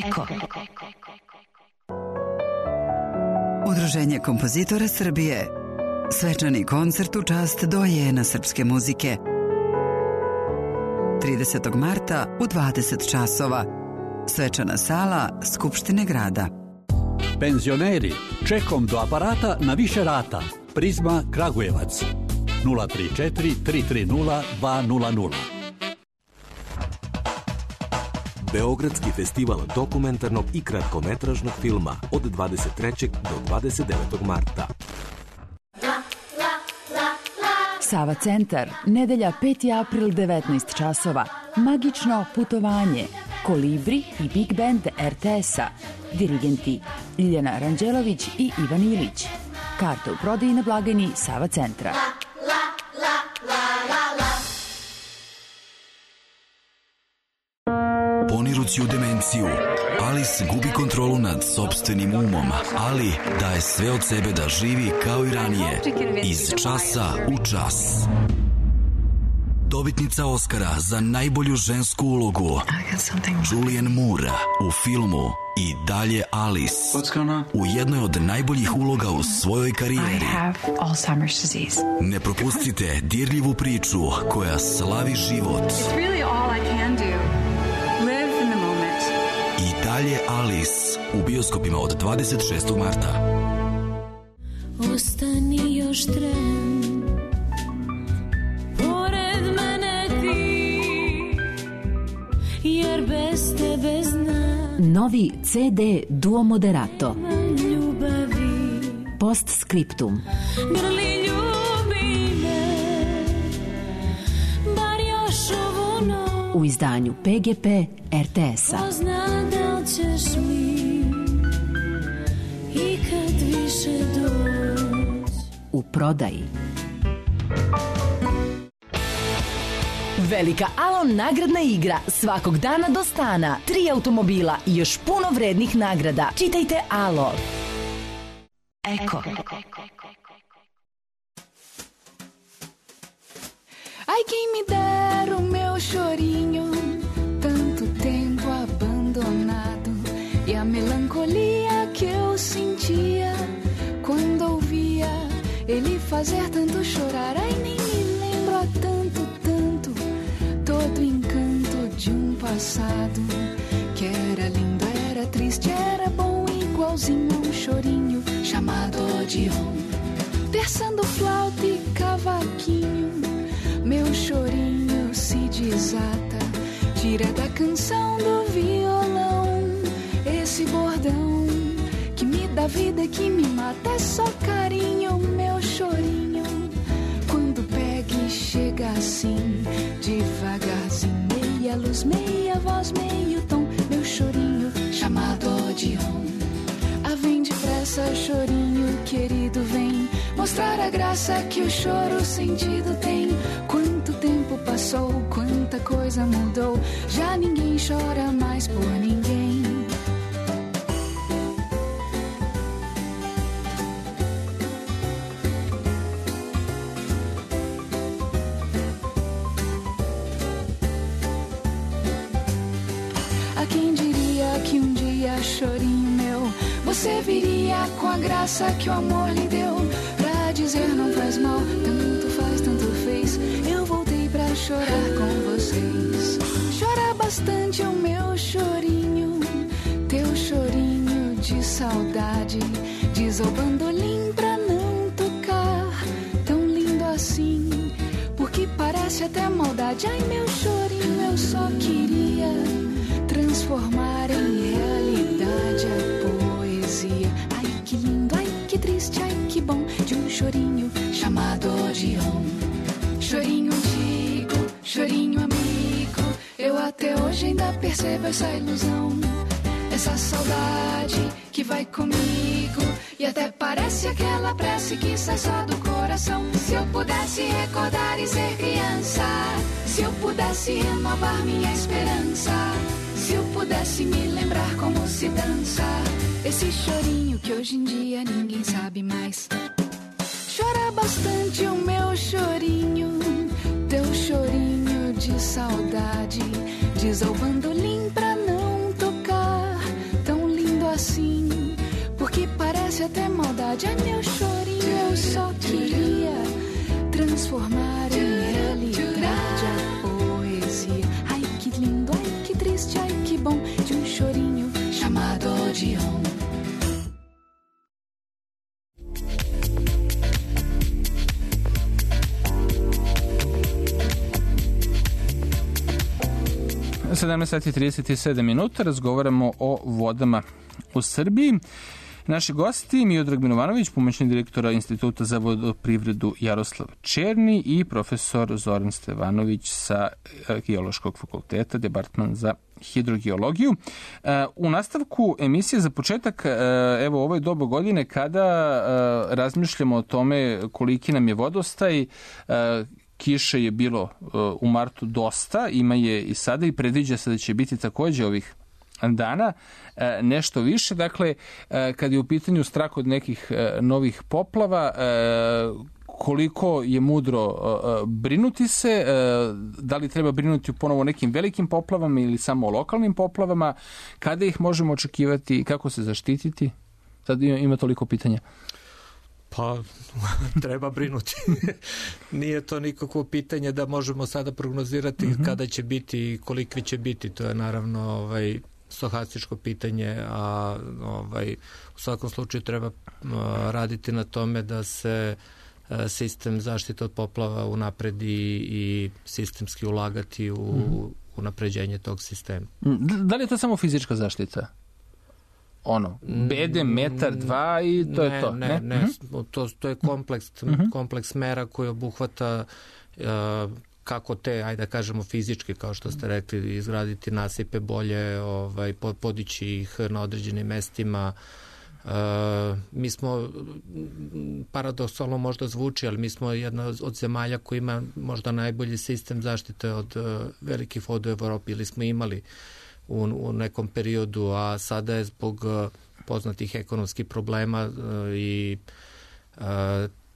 Eko. Udruženje kompozitora Srbije. Svečani koncert u čast dojena srpske muzike. 30. marta u 20 časova. Svečana sala Skupštine grada. Penzioneri, čekom do aparata na više rata. Prizma Kragujevac. 034 330 200. Beogradski festival dokumentarnog i kratkometražnog filma od 23. do 29. marta. Sava centar, nedelja 5. april 19 časova. Magično putovanje. Kolibri i Big Band RTS-a. Dirigenti Ljiljana Ranđelović i Ivan Ilić. Karte u prodaji na blagajni Sava centra. Ponirući u demenciju, Alice gubi kontrolu nad sopstvenim umom, ali daje sve od sebe da živi kao i ranije, iz časa u čas. Dobitnica Oscara za najbolju žensku ulogu, Julianne Moore u filmu I dalje Alice, u jednoj od najboljih uloga u svojoj karijeri. Ne propustite dirljivu priču koja slavi život. I dalje Alice u bioskopima od 26. marta. Ostani još tren, pored mene ti, jer bez tebe znam. Novi CD Duo Moderato. Postscriptum. Grli, ljubi me, bar još ovu noć. U izdanju PGP RTS-a. Pozna da ćeš mi ikad više doći. U prodaji. Velika Alon nagradna igra svakog dana do stana. 3 automobila i još puno vrednih nagrada. Čitajte Alo. Eko. Ai, quem me dera o meu chorinho, tanto tempo abandonado, e a melancolia que eu sentia quando ouvia ele fazer tanto chorar. Ai, nem me lembro há tanto, tanto, todo encanto de passado, que era lindo, era triste, era bom, igualzinho a chorinho chamado Odeon. Versando flauta e cavaquinho, meu chorinho se desata, tira da canção do violão esse bordão que me dá vida, que me mata. É só carinho, meu chorinho, quando pega e chega assim, devagarzinho, meia luz, meia voz, meio tom, meu chorinho chamado Odeon. Ah, vem depressa, chorinho querido, vem mostrar a graça que o choro sentido tem. Quanto tempo passou coisa mudou. Já ninguém chora mais por ninguém. A quem diria que um dia, chorinho meu, você viria com a graça que o amor lhe deu, pra dizer não faz mal, tanto faz, tanto fez. Eu voltei pra chorar com vocês. Chora bastante o meu chorinho, teu chorinho de saudade. Diz ao bandolim pra não tocar, tão lindo assim, porque parece até maldade. Ai, meu chorinho, eu só queria transformar em realidade a poesia. Ai, que lindo, ai, que triste, ai, que bom, de um chorinho chamado Odeon. Chorinho antigo, chorinho amigo, eu até hoje ainda percebo essa ilusão, essa saudade que vai comigo, e até parece aquela prece que sai só do coração. Se eu pudesse recordar e ser criança, se eu pudesse renovar minha esperança, se eu pudesse me lembrar como se dança, esse chorinho que hoje em dia ninguém sabe mais. Chora bastante o meu chorinho, teu chorinho de saudade. Diz ao bandolim pra não tocar, tão lindo assim, porque parece até maldade. Ai, meu chorinho, eu só queria transformar em realidade a poesia. Ai, que lindo, ai, que triste, ai, que bom, de um chorinho chamado Odeon. U 17:37 minuta razgovaramo o vodama u Srbiji. Naši gosti Miodrag Milovanović, pomoćnik direktora Instituta za vodoprivredu Jaroslav Černi i profesor Zoran Stevanović sa Geološkog fakulteta, departman za hidrogeologiju. U nastavku emisije za početak, evo ovo je doba godine kada razmišljamo o tome koliki nam je vodostaj. Kiše je bilo u martu dosta, ima je i sada i predviđa se da će biti takođe ovih dana nešto više. Dakle, kad je u pitanju strah od nekih novih poplava, koliko je mudro brinuti se, da li treba brinuti ponovo o nekim velikim poplavama ili samo o lokalnim poplavama, kada ih možemo očekivati, kako se zaštititi? Sad ima toliko pitanja. Pa, treba brinuti. Nije to nikakvo pitanje da možemo sada prognozirati kada će biti i kolikvi će biti. To je naravno stohastičko pitanje, a u svakom slučaju treba raditi na tome da se sistem zaštite od poplava unapredi i sistemski ulagati u unapređenje tog sistema. Da li je to samo fizička zaštita? Bedem, metar, dva i to je to? Ne. To je kompleks mera koji obuhvata kako te, ajde da kažemo fizički, kao što ste rekli, izgraditi nasipe bolje, podići ih na određenim mestima. Mi smo, paradoksalno možda zvuči, ali mi smo jedna od zemalja koja ima možda najbolji sistem zaštite od velikih voda u Evropi, ili smo imali u nekom periodu, a sada je zbog poznatih ekonomskih problema i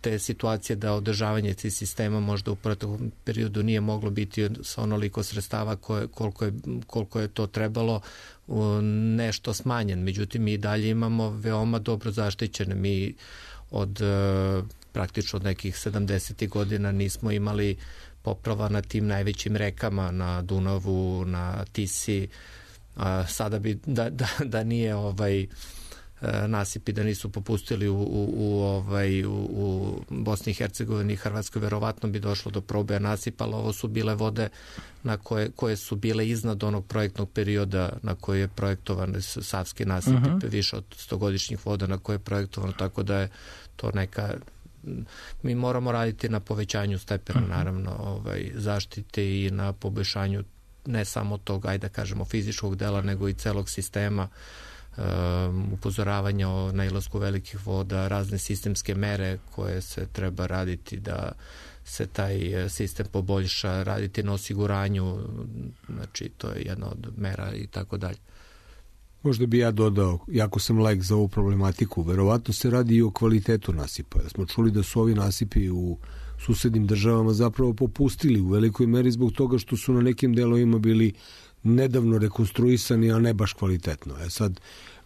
te situacije da održavanje tih sistema možda u proteklom periodu nije moglo biti sa onoliko sredstava koliko je to trebalo, nešto smanjen. Međutim, mi dalje imamo veoma dobro zaštićene. Mi praktično od nekih 70. godina nismo imali poplava na tim najvećim rekama, na Dunavu, na Tisi. Sada bi da nije nasipi, da nisu popustili u Bosni i Hercegovini i Hrvatskoj, verovatno bi došlo do proboja nasipa, ali ovo su bile vode koje su bile iznad onog projektnog perioda na koji je projektovan savski nasip, više od 100-godišnjih voda na koje je projektovano, tako da je to neka... Mi moramo raditi na povećanju stepena, naravno, zaštite i na poboljšanju ne samo tog, ajde da kažemo, fizičkog dela, nego i celog sistema, upozoravanja o nailasku velikih voda, razne sistemske mere koje se treba raditi da se taj sistem poboljša, raditi na osiguranju, znači to je jedna od mera i tako dalje. Možda bi ja dodao, jako sam laik za ovu problematiku, verovatno se radi i o kvalitetu nasipa. Smo čuli da su ovi nasipi u susednim državama zapravo popustili u velikoj meri zbog toga što su na nekim delovima bili nedavno rekonstruisani, a ne baš kvalitetno. Sad,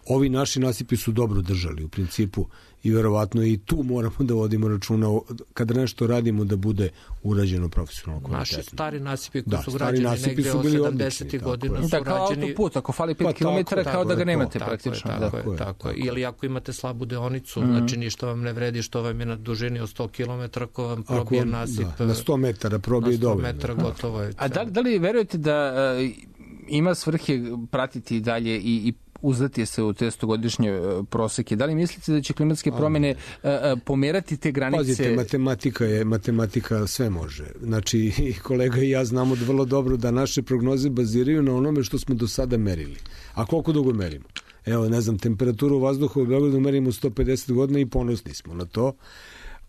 ovi naši nasipi su dobro držali u principu i verovatno i tu moramo da vodimo računa kada nešto radimo da bude urađeno profesionalno kvalitetno. Naši stari nasipi koji su građeni negde od 70. godina su rađeni... Kao autoput, ako fali 5 km, kao da ga nemate praktično. Tako je. Ili ako imate slabu deonicu, znači ništa vam ne vredi što vam je na dužini od 100 km, ako vam probije nasip... Na 100 metara probije dovoljno. Na 100 metara gotovo je. A da li verujete da ima svrhe pratiti dalje i uzdati se u te 100-godišnje proseke? Da li mislite da će klimatske promjene pomerati te granice? Pazite, matematika sve može. Znači, kolega i ja znamo vrlo dobro da naše prognoze baziraju na onome što smo do sada merili. A koliko dugo merimo? Evo, ne znam, temperaturu vazduha u Beogradu merimo 150 godina i ponosni smo na to.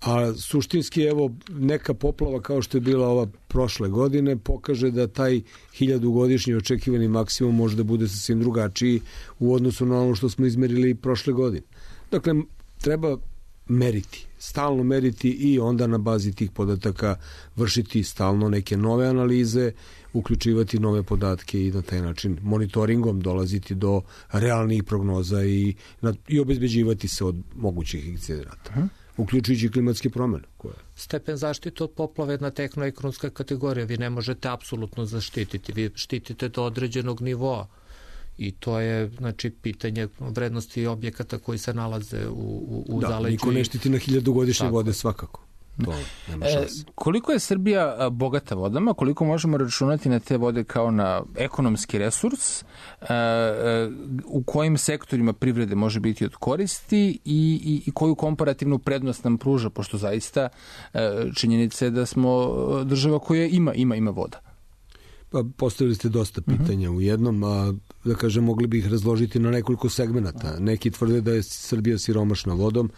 A suštinski, evo, neka poplava kao što je bila ova prošle godine pokaže da taj 1000-godišnji očekivani maksimum može da bude sasvim drugačiji u odnosu na ono što smo izmerili prošle godine. Dakle, treba meriti, stalno meriti i onda na bazi tih podataka vršiti stalno neke nove analize, uključivati nove podatke i na taj način monitoringom dolaziti do realnih prognoza i obezbeđivati se od mogućih incidenata. Uključujući klimatske promjene. Stepen zaštite od poplave je jedna tehnoekonomska kategorija. Vi ne možete apsolutno zaštititi. Vi štitite do određenog nivoa. I to je, znači, pitanje vrednosti objekata koji se nalaze u zaleđu. Niko ne štiti na 1000-godišnje vode svakako. Koliko je Srbija bogata vodama, koliko možemo računati na te vode kao na ekonomski resurs, u kojim sektorima privrede može biti od koristi i koju komparativnu prednost nam pruža, pošto zaista činjenica je da smo država koja ima voda? Pa postavili ste dosta pitanja u jednom, a da kažem, mogli bi ih razložiti na nekoliko segmenata. Neki tvrde da je Srbija siromašna vodom,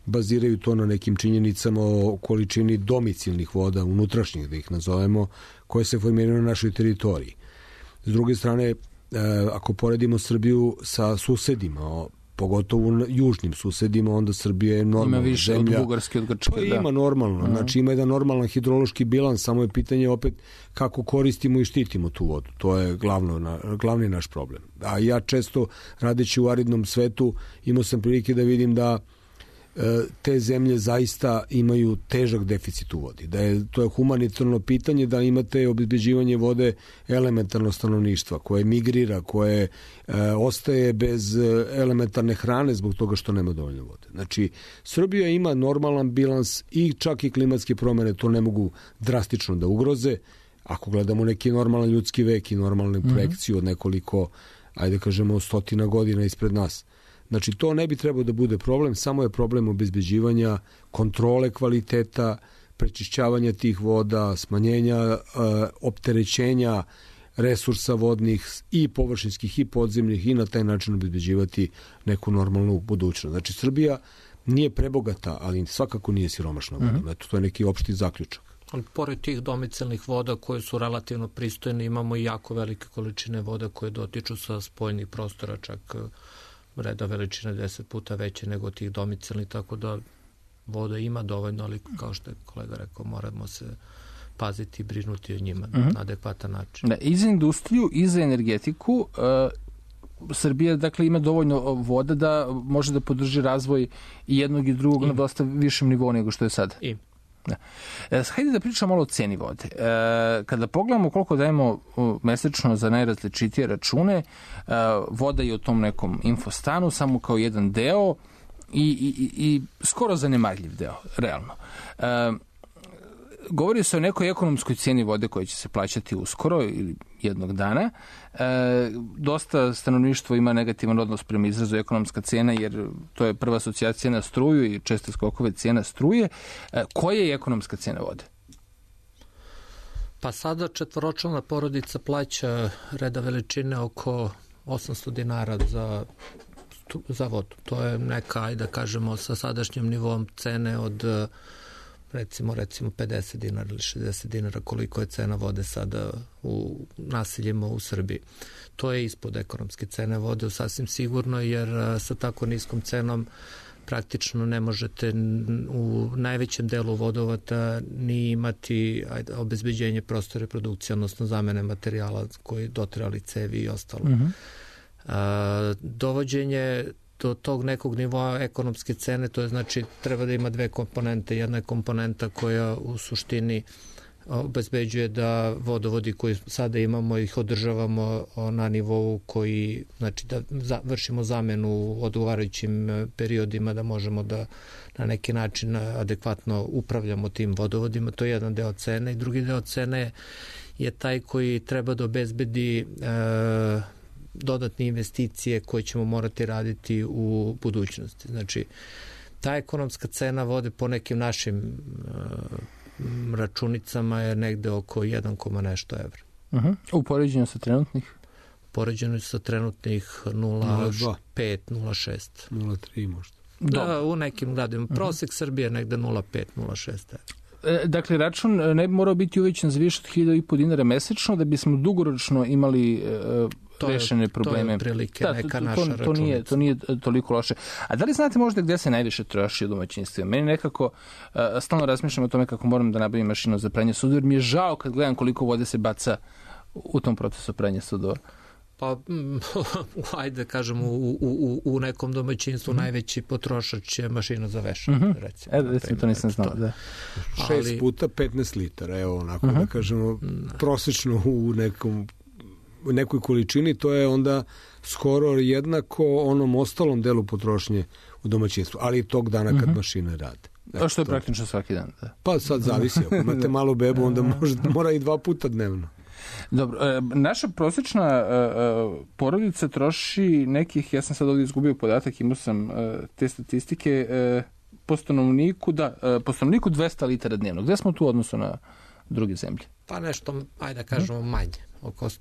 baziraju to na nekim činjenicama o količini domicilnih voda, unutrašnjih da ih nazovemo, koje se formiraju na našoj teritoriji. S druge strane, ako poredimo Srbiju sa susedima, pogotovo južnim susedima, onda Srbija je normalna zemlja. Ima više od Bugarske, od Grčke. Pa ima normalno, znači ima jedan normalan hidrološki bilans, samo je pitanje opet kako koristimo i štitimo tu vodu. To je glavni naš problem. A ja često, radeći u aridnom svetu, imao sam prilike da vidim da te zemlje zaista imaju težak deficit u vodi. To je humanitarno pitanje da imate obezbeđivanje vode elementarno stanovništva koje migrira, koje ostaje bez elementarne hrane zbog toga što nema dovoljno vode. Znači, Srbija ima normalan bilans i čak i klimatske promjene to ne mogu drastično da ugroze. Ako gledamo neki normalan ljudski vek i normalnu projekciju od nekoliko, ajde kažemo, 100 godina ispred nas. Znači, to ne bi trebao da bude problem, samo je problem obezbeđivanja kontrole kvaliteta, prečišćavanja tih voda, smanjenja opterećenja resursa vodnih i površinskih i podzemnih i na taj način obezbeđivati neku normalnu budućnost. Znači, Srbija nije prebogata, ali svakako nije siromašna voda. Eto, to je neki opšti zaključak. Pored tih domicilnih voda koje su relativno pristojne, imamo i jako velike količine voda koje dotiču sa spoljnih prostora, čak reda veličine 10 puta veće nego tih domicilnih, tako da voda ima dovoljno, ali kao što je kolega rekao, moramo se paziti i brinuti o njima na adekvatan način. I za industriju i za energetiku Srbija, dakle, ima dovoljno voda da može da podrži razvoj i jednog i drugog na dosta višem nivou nego što je sad. Hajde da pričamo malo o ceni vode. Kada pogledamo koliko dajemo mesečno za najrazličitije račune, voda je u tom nekom infostanu samo kao jedan deo i skoro zanemarljiv deo, realno. Govori se o nekoj ekonomskoj cijeni vode koja će se plaćati uskoro ili jednog dana. Dosta stanovništvo ima negativan odnos prema izrazu ekonomska cena, jer to je prva asocijacija na struju i česte skokove cijena struje. Koja je ekonomska cena vode? Pa sada četvoročlana porodica plaća reda veličine oko 800 dinara za vodu. To je neka, ajde da kažemo, sa sadašnjim nivom cene od recimo 50 dinara ili 60 dinara koliko je cena vode sada u naseljima u Srbiji. To je ispod ekonomske cene vode, sasvim sigurno, jer sa tako niskom cenom praktično ne možete u najvećem delu vodovata ni imati obezbeđenje prostora reprodukcije, odnosno zamene materijala koji dotrali cevi i ostalo. Dovođenje do tog nekog nivoa ekonomske cene, to je znači treba da ima dve komponente. Jedna je komponenta koja u suštini obezbeđuje da vodovodi koji sada imamo ih održavamo na nivou koji, znači da vršimo zamenu u odgovarajućim periodima, da možemo da na neki način adekvatno upravljamo tim vodovodima. To je jedan deo cene i drugi deo cene je taj koji treba da obezbedi dodatne investicije koje ćemo morati raditi u budućnosti. Znači, ta ekonomska cena vode po nekim našim računicama je negde oko 1, nešto evra. U poređenju sa trenutnih? Poređenju sa trenutnih 0,5, 0,6. 0,3 možda. Da, u nekim gradima. Prosek Srbije je negde 0,5, 0,6 evra. Dakle, račun ne bi morao biti uvećan za više od 1.500 dinara mesečno da bismo dugoročno imali rešene probleme. To je prilike neka naša računica. To nije toliko loše. A da li znate možda gde se najviše troši u domaćinstvima? Meni nekako stalno razmišljam o tome kako moram da nabavim mašinu za pranje sudova, jer mi je žao kad gledam koliko vode se baca u tom procesu pranja sudova. Pa, ajde kažem, u nekom domaćinstvu najveći potrošač je mašina za vešanje, recimo. To nisam znao, da. 6 puta 15 litara, evo, onako da kažemo, prosečno u nekoj količini, to je onda skoro jednako onom ostalom delu potrošnje u domaćinstvu, ali tog dana kad mašine rade. To što je praktično svaki dan, da. Pa sad zavisi, ako imate malu bebu, onda mora i 2 puta dnevno. Dobro, naša prosječna porodica troši nekih, ja sam sad ovdje izgubio podatak, imao sam te statistike, po stanovniku 200 litara dnevno. Gde smo tu u odnosu na druge zemlje? Pa nešto, ajde kažemo, manje.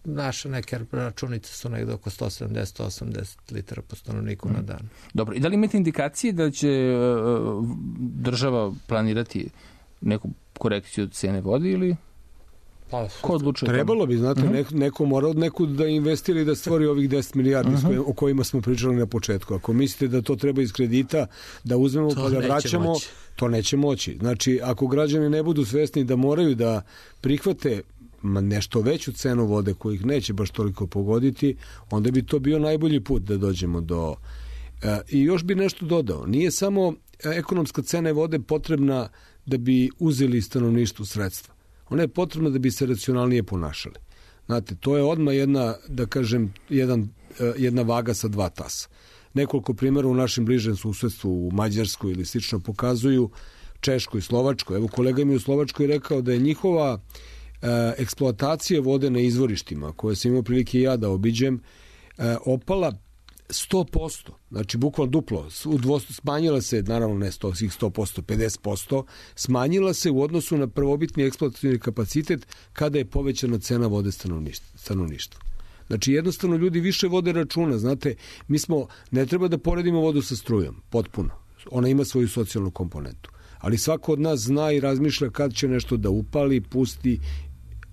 Naše neke računice su negde oko 170-180 litara po stanovniku na dan. Dobro, i da li imate indikacije da će država planirati neku korekciju cene vode ili... Ko odlučuje? Trebalo bi, znate, neko mora od nekud da investira i da stvori ovih 10 milijardi o kojima smo pričali na početku. Ako mislite da to treba iz kredita, da uzmemo pa da vraćamo, to neće moći. Znači, ako građani ne budu svesni da moraju da prihvate nešto veću cenu vode kojih neće baš toliko pogoditi, onda bi to bio najbolji put da dođemo do... I još bi nešto dodao. Nije samo ekonomska cena vode potrebna da bi uzeli stanovništvu sredstva. Ona je potrebna da bi se racionalnije ponašali. Znate, to je odmah jedna vaga sa 2 tasa. Nekoliko primjera u našem bližem susedstvu, u Mađarskoj ili slično, pokazuju Češkoj, Slovačkoj. Evo, kolega mi u Slovačkoj rekao da je njihova eksploatacija vode na izvorištima, koje sam imao prilike ja da obiđem, opala 100%, znači bukvalno duplo, smanjila se, naravno ne 100%, 50%, smanjila se u odnosu na prvobitni eksploatacijni kapacitet kada je povećana cena vode stanovništva. Znači jednostavno ljudi više vode računa, znate, ne treba da poredimo vodu sa strujom, potpuno, ona ima svoju socijalnu komponentu, ali svako od nas zna i razmišlja kad će nešto da upali, pusti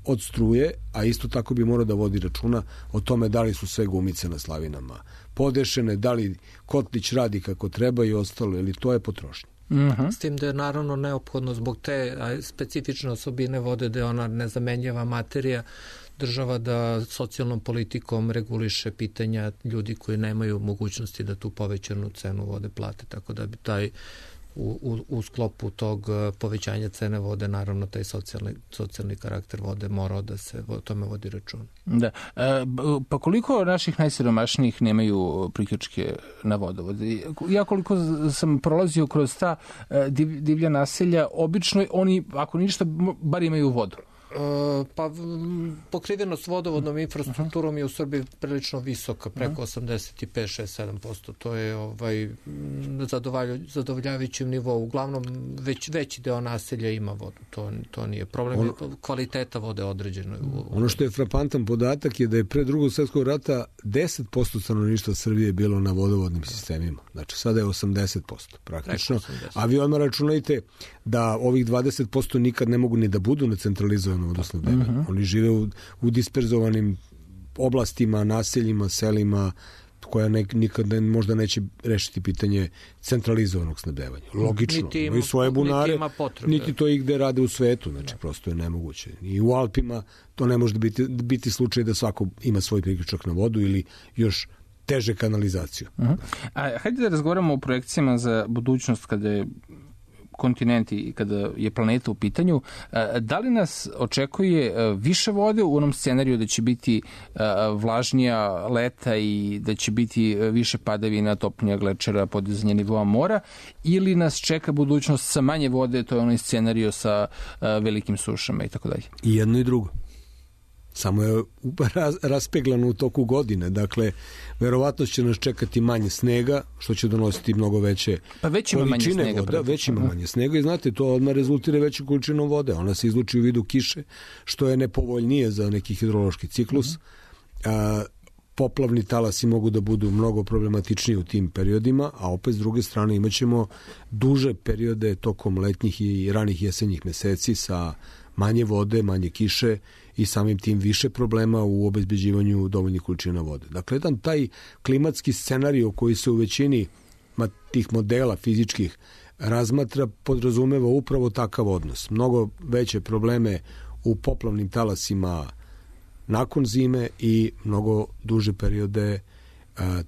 od struje, a isto tako bi morao da vodi računa o tome da li su sve gumice na slavinama podešene, da li kotlić radi kako treba i ostalo, ili to je potrošnja. S tim da je naravno neophodno zbog te specifične osobine vode da je ona nezamenjiva materija, država da socijalnom politikom reguliše pitanja ljudi koji nemaju mogućnosti da tu povećanu cenu vode plate, tako da bi taj u sklopu tog povećanja cene vode, naravno taj socijalni karakter vode morao da se o tome vodi račun. Da. Pa koliko naših najsiromašnijih nemaju priključke na vodovod? Ja koliko sam prolazio kroz ta divlja naselja, obično oni, ako ništa, bar imaju vodu. Pa pokrivenost vodovodnom infrastrukturom je u Srbiji prilično visoka, preko 85-67%. To je zadovoljavajućem nivou. Uglavnom veći deo naselja ima vodu. To nije problem. Kvaliteta vode određena. Ono što je frapantan podatak je da je pre Drugog svjetskog rata 10% stanovništva Srbije bilo na vodovodnim sistemima. Znači sada je 80% praktično. A vi odmah računajte da ovih 20% nikad ne mogu ni da budu na centralizovanom vodosnabdevanju. Oni žive u disperzovanim oblastima, naseljima, selima, koja nikad možda neće rešiti pitanje centralizovanog snabdevanja. Logično, imaju svoje bunare, niti to i gde rade u svetu, znači prosto je nemoguće. I u Alpima to ne može biti slučaj da svako ima svoj priključak na vodu ili još teže kanalizaciju. Hajde da razgovaramo o projekcijama za budućnost kada je kontinent i kada je planeta u pitanju. Da li nas očekuje više vode u onom scenariju da će biti vlažnija leta i da će biti više padavina, topljenja glečera, podizanje nivoa mora, ili nas čeka budućnost sa manje vode, to je onaj scenariju sa velikim sušama i tako dalje? I jedno i drugo. Samo je raspeglano u toku godine. Dakle, verovatno će nas čekati manje snega, što će donositi mnogo veće količine vode. Već ima manje snega i znate, to odmah rezultira veću količinu vode. Ona se izluči u vidu kiše, što je nepovoljnije za neki hidrološki ciklus. Poplavni talasi mogu da budu mnogo problematičniji u tim periodima, a opet s druge strane imat ćemo duže periode tokom letnjih i ranih jesenjih meseci sa manje vode, manje kiše i samim tim više problema u obezbeđivanju dovoljnih količina vode. Dakle, jedan taj klimatski scenarij koji se u većini tih modela fizičkih razmatra podrazumeva upravo takav odnos. Mnogo veće probleme u poplavnim talasima nakon zime i mnogo duže periode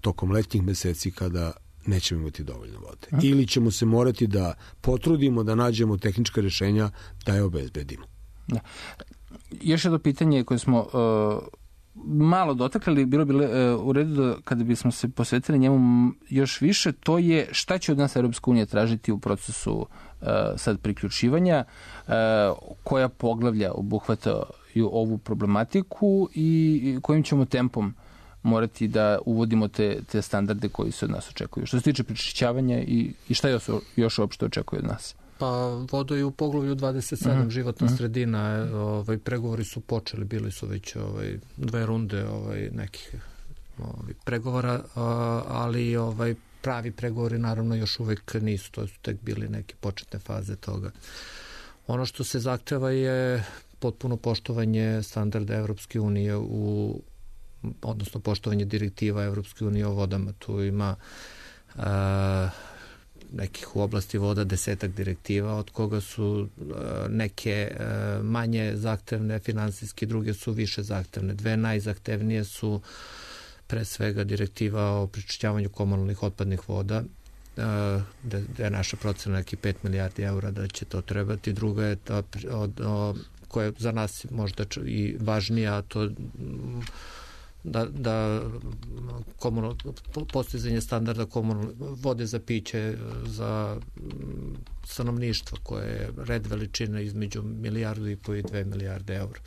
tokom letnjih meseci kada nećemo imati dovoljno vode. Ili ćemo se morati da potrudimo da nađemo tehnička rješenja da je obezbedimo. Da. Još jedno pitanje koje smo malo dotakli, bilo bi u redu da kada bismo se posvetili njemu još više, to je šta će od nas Europska unija tražiti u procesu sad priključivanja, koja poglavlja obuhvataju ovu problematiku i kojim ćemo tempom morati da uvodimo te standarde koji se od nas očekuju. Što se tiče prečišćavanja i šta još uopšte očekuje od nas? Pa vodo je u poglavlju 27 životna sredina, pregovori su počeli, bili su već 2 runde nekih pregovora, ali pravi pregovori naravno još uvek nisu, to su tek bili neke početne faze toga. Ono što se zahteva je potpuno poštovanje standarda Evropske unije odnosno poštovanje direktiva Evropske unije o vodama. Tu ima nekih u oblasti voda 10 direktiva, od koga su neke manje zahtevne finansijski, druge su više zahtevne. 2 najzahtevnije su pre svega direktiva o prečišćavanju komunalnih otpadnih voda, gde je naša procena neki 5 milijardi eura da će to trebati. Druga je ta koja je za nas možda i važnija, to da postizanje standarda vode za piće za stanovništvo koje je red veličine između 1,5 milijardu i 2 milijarde eura.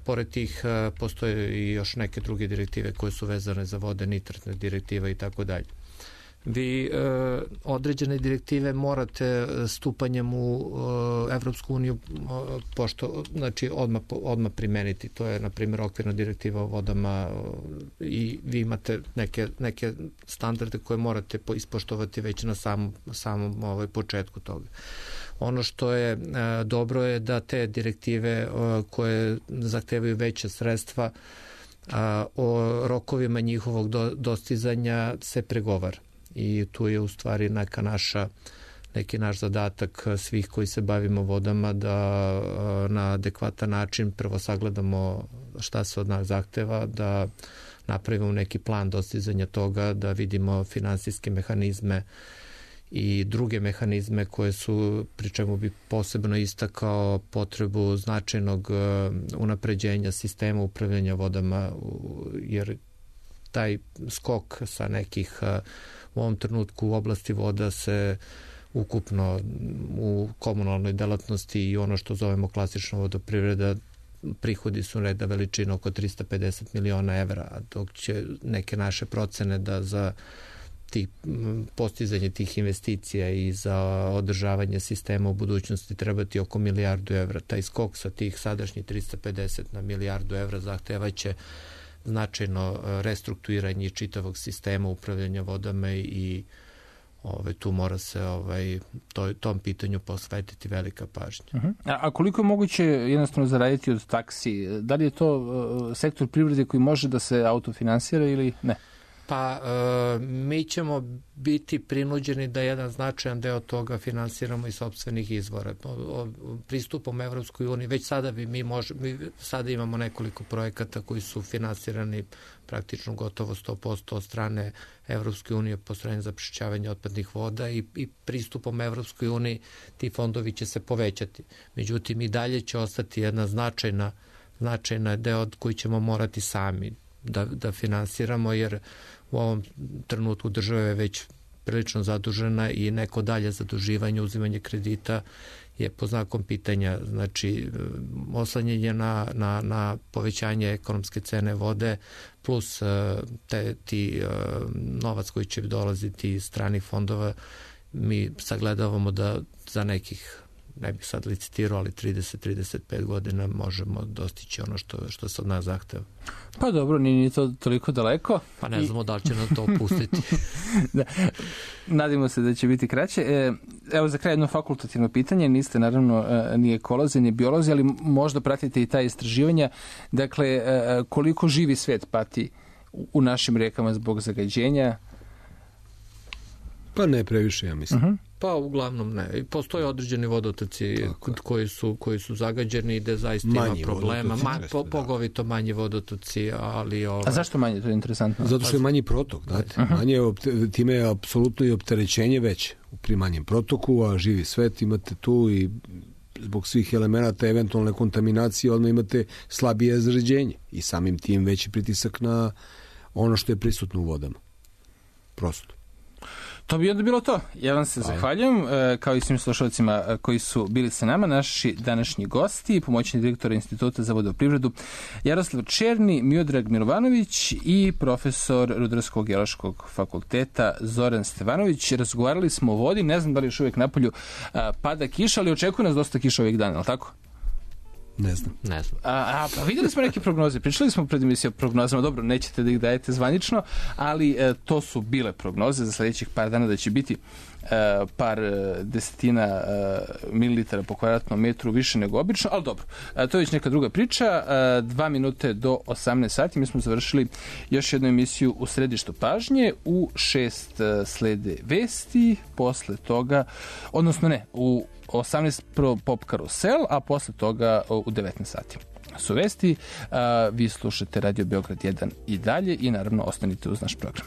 Pored tih postoje i još neke druge direktive koje su vezane za vode, nitratne direktive i tako dalje. Vi određene direktive morate stupanjem u Evropsku uniju znači odmah primeniti. To je, na primjer, okvirna direktiva o vodama i vi imate neke standarde koje morate ispoštovati već na samom početku toga. Ono što je dobro je da te direktive koje zahtevaju veće sredstva o rokovima njihovog dostizanja se pregovara. I tu je u stvari neki naš zadatak svih koji se bavimo vodama da na adekvatan način prvo sagledamo šta se od nas zahteva, da napravimo neki plan dostizanja toga, da vidimo finansijske mehanizme i druge mehanizme koje su, pri čemu bi posebno istakao potrebu značajnog unapređenja sistema upravljanja vodama, jer taj skok sa nekih u ovom trenutku u oblasti voda se ukupno u komunalnoj delatnosti i ono što zovemo klasična vodoprivreda, prihodi su reda veličina oko 350 miliona evra, dok će neke naše procene da za postizanje tih investicija i za održavanje sistema u budućnosti trebati oko milijardu evra. Taj skok sa tih sadašnjih 350 na milijardu evra zahtevaće značajno restrukturiranje čitavog sistema upravljanja vodama i tu mora se tom pitanju posvetiti velika pažnja. A koliko je moguće jednostavno zaraditi od taksi? Da li je to sektor privrede koji može da se autofinansira ili ne? Pa mi ćemo biti prinuđeni da jedan značajan deo toga finansiramo iz sopstvenih izvora. Pristupom Evropskoj uniji, već sada mi sada imamo nekoliko projekata koji su finansirani praktično gotovo 100% od strane Evropske unije, postrojenja za prečišćavanje otpadnih voda i pristupom Evropskoj uniji ti fondovi će se povećati. Međutim, i dalje će ostati jedna značajna deo koji ćemo morati sami da finansiramo, jer u ovom trenutku država je već prilično zadužena i neko dalje zaduživanje, uzimanje kredita je po znakom pitanja. Znači, oslanjanje na povećanje ekonomske cene vode plus ti novac koji će dolaziti iz stranih fondova, mi sagledavamo da za nekih, ne bih sad licitirao, ali 30-35 godina možemo dostići ono što se od nas zahteva. Pa dobro, nije to toliko daleko. Pa ne znamo da li će nam to opustiti. Da. Nadimo se da će biti kraće. Evo za kraj jedno fakultativno pitanje. Niste naravno ni ekolozi, ni biolozi, ali možda pratite i ta istraživanja. Dakle, koliko živi svet pati u našim rekama zbog zagađenja? Pa ne previše, ja mislim. Pa uglavnom ne. Postoje određeni vodotoci koji su zagađeni i gde zaista ima problema. Pogovito manji vodotoci, ali... A zašto manje? To je interesantno. Zato što je manji protok. Time je apsolutno i opterećenje već pri manjem protoku, a živi svet imate tu i zbog svih elemenata eventualne kontaminacije, odmah imate slabije zagađenje i samim tim veći pritisak na ono što je prisutno u vodama. Prosto. To bi onda bilo to. Ja vam se zahvaljujem, kao i svim slušalcima koji su bili sa nama, naši današnji gosti, pomoćni direktor Instituta za vodoprivredu Jaroslav Černi, Miodrag Milovanović i profesor Rudarsko-geološkog fakulteta Zoran Stevanović. Razgovarali smo o vodi, ne znam da li još uvijek napolju pada kiša, ali očekuje nas dosta kiša ovih dana, ali tako? Ne znam. Pa vidjeli smo neke prognoze, pričali smo pred emisijom o prognozama, dobro, nećete da ih dajete zvanično, ali to su bile prognoze za sljedećih par dana da će biti par desetina mililitara po kvadratnom metru više nego obično, ali dobro, to je već neka druga priča. 2 minute do 18 sati, mi smo završili još jednu emisiju u središtu pažnje, u 6 slede vesti, posle toga, odnosno ne, u 18 pop karusel, a posle toga u 19 sati su vesti. Vi slušate Radio Beograd 1 i dalje i naravno ostanite uz naš program.